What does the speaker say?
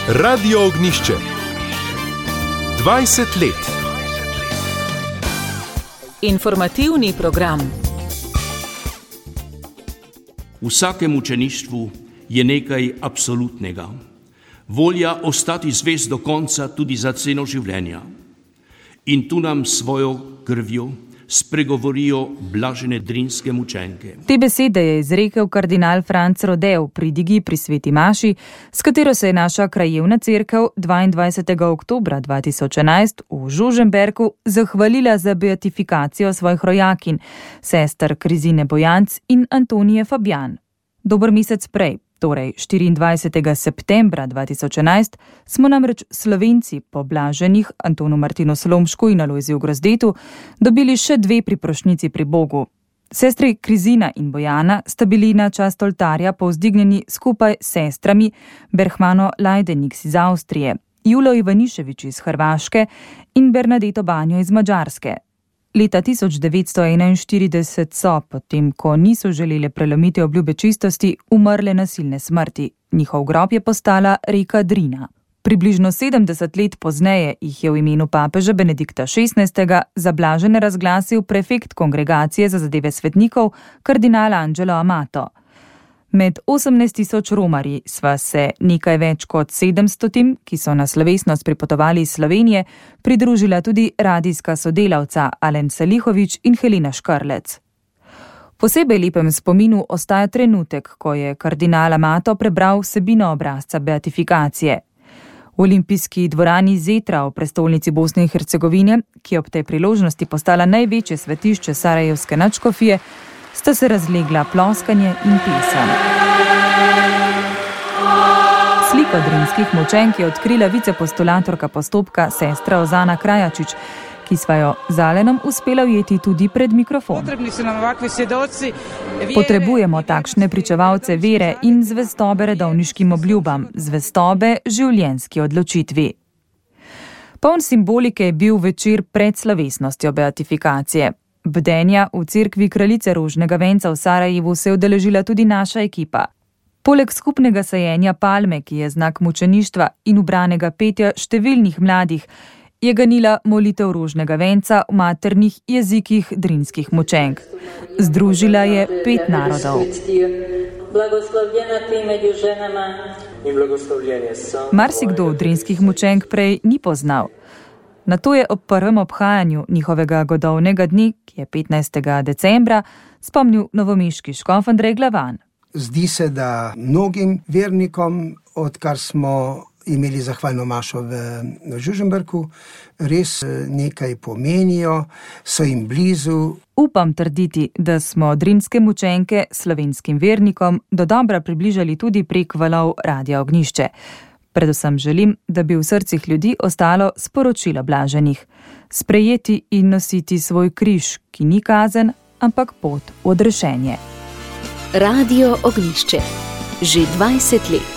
Radio Ognjišče. 20 let. Informativni program. V vsakem učeništvu je nekaj absolutnega. Volja ostati zvest do konca tudi za ceno življenja. In tu nam svojo krvjo spregovorijo blažene drinske mučenke. Te besede je izrekel kardinal Franc Rodel pri Digi pri Sveti Maši, s katero se je naša krajevna cerkev 22. oktobra 2011 v Žužemberku zahvalila za beatifikacijo svojih rojakinj, sester Krizine Bojanc in Antonije Fabjan. Dober mesec prej, torej 24. septembra 2011, smo namreč Slovenci po blaženih Antonu Martinu Slomšku in Alojziju Grozdetu dobili še dve priprošnjici pri Bogu. Sestri Krizina in Bojana sta bili na čast oltarja povzdignjeni skupaj s sestrami Berhmano Lajdeniks iz Avstrije, Julo Ivaniševič iz Hrvaške in Bernadeto Banjo iz Madžarske. Leta 1941 so, potem ko niso želeli prelomiti obljube čistosti, umrle nasilne smrti. Njihov grob je postala reka Drina. Približno 70 let pozneje jih je v imenu papeža Benedikta XVI. Za blažene razglasil prefekt Kongregacije za zadeve svetnikov, kardinal Angelo Amato. Med 18.000 romarji sva se nekaj več kot 700, ki so na slovesnost pripotovali iz Slovenije, pridružila tudi radijska sodelavca Alen Salihovič in Helena Škrlec. Posebej lepem spominu ostaja trenutek, ko je kardinal Amato prebral vsebino obrazca beatifikacije. V olimpijski dvorani Zetra v prestolnici Bosne in Hercegovine, ki je ob tej priložnosti postala največje svetišče sarajevske nadškofije, sta se razlegla ploskanje in pesem. Sliko drinskih mučenk je odkrila vicepostulatorka postopka sestra Ozana Krajačič, ki sva jo z Alenom uspela ujeti tudi pred mikrofon. Potrebujemo takšne pričevalce vere in zvestobe redovniškim obljubam, zvestobe življenjski odločitvi. Poln simbolike je bil večer pred slovesnostjo beatifikacije. Bdenja v cerkvi Kraljice Rožnega venca v Sarajevu se je udeležila tudi naša ekipa. Poleg skupnega sajenja palme, ki je znak mučeništva, in ubranega petja številnih mladih, je ganila molitev Rožnega venca v maternih jezikih drinskih mučenk. Združila je 5 narodov. Marsikdo drinskih mučenk prej ni poznal. Na to je ob prvem obhajanju njihovega godovnega dne, ki je 15. decembra, spomnil novomeški škof Andrej Glavan. Zdi se, da mnogim vernikom, odkar smo imeli zahvalno mašo v Žužemberku, res nekaj pomenijo, so jim blizu. Upam trditi, da smo drinske mučenke slovenskim vernikom dodobra približali tudi prek valov Radia Ognjišče. Predvsem želim, da bi v srcih ljudi ostalo sporočilo blaženih. Sprejeti in nositi svoj križ, ki ni kazen, ampak pot v odrešenje. Radio Ognjišče. Že 20 let.